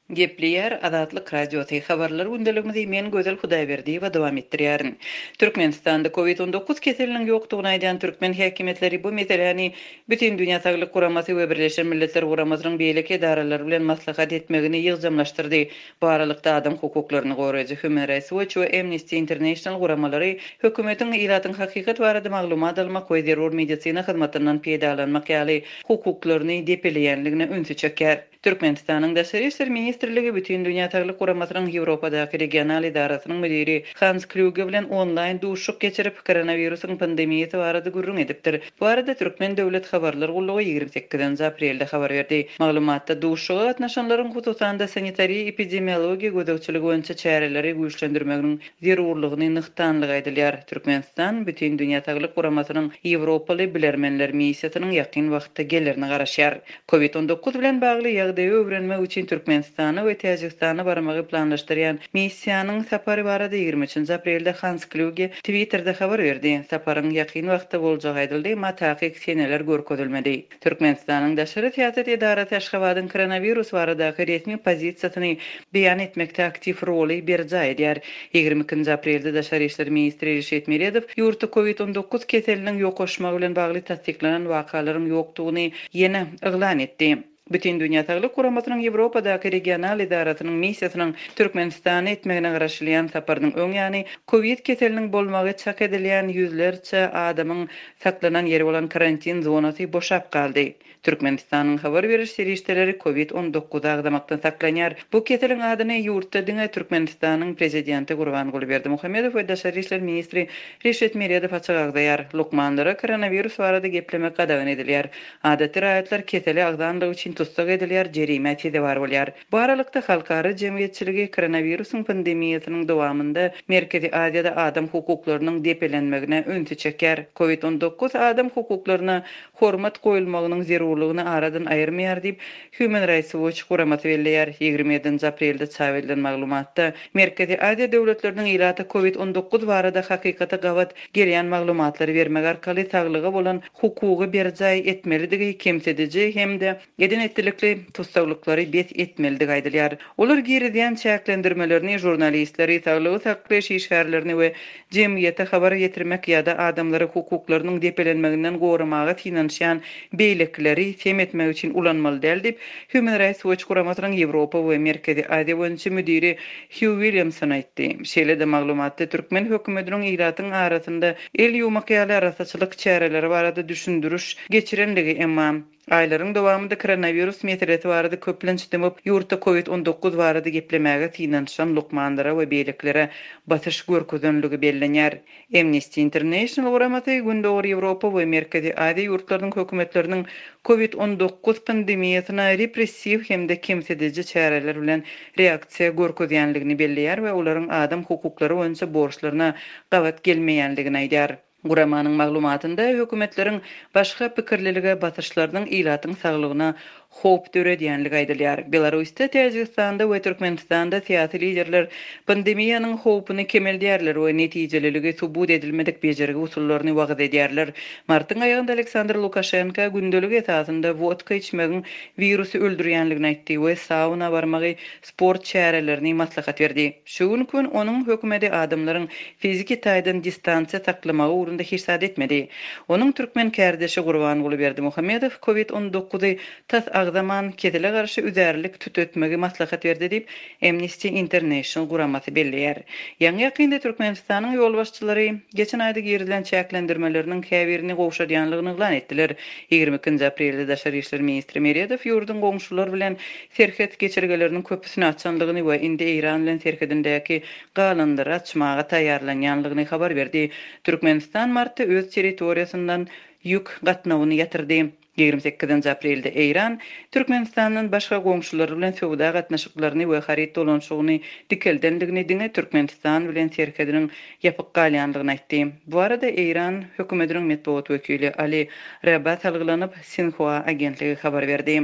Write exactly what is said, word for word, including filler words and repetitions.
Gepleýär Azatlyk Radiosy. Habarlar gündeligimizi men Gözel Hudaýberdiýewa dowam etdirýärin. Türkmenistanda COVID on dokuz keseliniň ýokdugyny aýdan türkmen häkimiýetleri bu meseläni Bütindünýä Saglyk Guramasy we Birleşen Milletler Guramasynyň beýleki edaralary bilen maslahat etmegini ýygjamlaşdyrdy. Bu aralykda adam hukuklaryny goraýjy Human Rights Watch we Amnesty International guramalary hökümetiň ilatyň hakykat barada maglumat almak we zerur medisina hyzmatyndan peýdalanmak ýaly hukuklaryny depeleýänligine ünsi çekýär. Türkmenistanyň Daşary İşler Ministrligi Bütindünýä Saglyk Guramasynyň Ýewropadaky regional edarasynyň müdiri Hans Kluge bilen onlaýn duşuşyk geçirip, koronawirusyň pandemiýasy barada gürrüň edipdir. Bu arada Türkmen Döwlet Habarlar Gullugy ýigrimi sekizinji aprelde habar berdi. Maglumatda duşuşyga gatnaşanlaryň hususan-da sanitariýa epidemiologiýa gözegçiligi boýunça çäreleri güýçlendirmegiň zerurlygyny nygtanlygy aýdylýar. Türkmenistan Bütindünýä Saglyk Guramasynyň Ýewropaly bilermenler missiýasynyň ýakyn wagtda gelerine garaşýar. COVID on dokuz bilen bagly ýagdaýy öwrenmek üçin Türkmenistana we Täjigistana barmagy planlaşdyrýan missiýanyň sapary barada ýigrimi üçünji aprelde Hans Kluge Twitterde habar berdi. Saparyň ýakyn wagtda boljagy aýdyldy, emma takyk seneler görkezilmedi. Türkmenistanyň Daşary Syýasat edarasy Aşgabadyň koronawirus baradaky resmi pozisiýasyny beýan etmekde aktiw roly berjaý edýär. Ýigrimi ikinji aprelde Daşary İşler ministri Reşit Meredow ýurtda COVID on dokuz keseliniň ýokaşmagy bilen bagly tassyklanan wakalaryň ýokdugyny ýene yglan etdi. Bütindünýä Saglyk Guramasynyň Ýewropadaky regional edarasynyň missiýasynyň Türkmenistana etmegine garaşylýan saparynyň öň ýany COVID keseliniň bolmagy çak edilýän ýüzlerçe adamyň saklanan ýeri bolan karantin zonasy boşap galdy. Türkmenistanyň habar beriş serişdeleri COVID on dokuz agzamakdan saklanýar. Bu keseliň adyny ýurtda diňe Türkmenistanyň prezidenti Gurbanguly Berdimuhamedow we Daşary İşler ministri Reşit Meredow açyk agzaýar. Lukmanlara koronawirus barada geplemek gadagan edilýär. Adaty raýatlar keseli agzanlygy üçin tussag edilýär, jerime sezewar bolýar. Bu aralykda halkara jemgyýetçiligi koronawirusyň pandemiýasynyň dowamynda Merkezi Aziýada adam hukuklarynyň depelenmegine ünsi çekýär. COVID on dokuz adam hukuklaryna hormat goýulmagynyň zerurlygyny aradan aýyrmaýar diýip Human Rights Watch guramasy belleýär. Ýigrimi ýedinji aprelde çap edilen maglumatda Merkezi Aziýa döwletleriniň ilata COVID on dokuz barada hakykata gabat gelýän maglumatlary bermek arkaly saglyga bolan hukugy berjaý etmelidigi kemsidiji hem-de eden etdilikli tussaglyklary bes etmelidigi aýdylýar. Olar girizýän çäklendirmelerini jurnalistleri, saglygy saklaýyş işgärlerini we jemgyýete habar ýetirmek ýa-da adamlary hukuklarynyň depelenmeginden goramaga synanyşýan beýlekileri sem etmek üçin ulanmaly däl diýip Human Rights Watch guramasynyň Ýewropa we Merkezi Aziýa boýunça müdiri Hugh Williamson aýtdy. Şeýle-de maglumatda türkmen hökümetiniň ilatyň arasynda el ýuwmak ýaly arasaçylyk çäreleri barada düşündiriş geçirenligi, emma aýlaryň dowamynda koronawirus meselesi barada köplenç dymyp, ýurtda COVID on dokuz barada geplemäge synanyşan lukmanlara we beýlekilere basyş görkezenligi bellenýär. Amnesty International guramasy Gündogar Ýewropa we Merkezi Aziýa ýurtlarynyň hökümetleriniň COVID on dokuz pandemiýasyna repressiw hem-de kemsidiji çäreler bilen reaksiýa görkezýänligini belleýär we olaryň adam hukuklary boýunça borçlaryna gabat gelmeýänligini aýdýar. Guramanyň maglumatynda hökümetleriň başga pikirlilige basyşlarynyň ilatyň saglygyna howp döredýänligi aýdylýar. Belarusda, Täjigistanda we Türkmenistanda syýasy liderler pandemiýanyň howpuny kemeldýärler we netijeliligi subut edilmedik bejergi usullaryny wagyz edýärler. Martyň aýagynda Aleksandr Lukaşenko gündelik esasynda wodka içmegiň wirusy öldürýänligini aýtdy we sauna barmagy sport çärelerini maslahat berdi. Şu gün gün onuň hökümeti adamlaryň fiziki taýdan distansiýa saklamagy ugrunda hiç zat etmedi. Onuň türkmen kärdeşi Gurbanguly Berdimuhamedow COVID on dokuzy tas agzaman kesele garşy üzärlik tütetmegi maslahat berdi diýip Amnesty International guramasy belleýär. Ýaňy ýakynda Türkmenistanyň ýolbaşçylary geçen aýda girizilen çäklendirmeleriniň käbirini gowşadýanlygyny yglan etdiler. Ýigrimi ikinji aprelde Daşary İşler ministri Meredow ýurduň goňşulary bilen serhet geçirgeleriniň köpüsini açanlygyny we indi Eýran bilen serhedindäki galanlary açmaga taýýarlanýanlygyny habar berdi. Türkmenistan martda öz territoriýasyndan ýük gatnawyny ýatyrdy. Ýigrimi sekizinji aprelde Eýran Türkmenistandan başga goňşulary bilen söwda gatnaşyklaryny we haryt dolanyşygyny dikeldendigini diňe Türkmenistan bilen serhediniň ýapyk galýanlygyny aýtdy. Bu arada Eýran hökümetiniň metbugat wekili Ali Raba salgylanyp Sinhua agentligi habar berdi.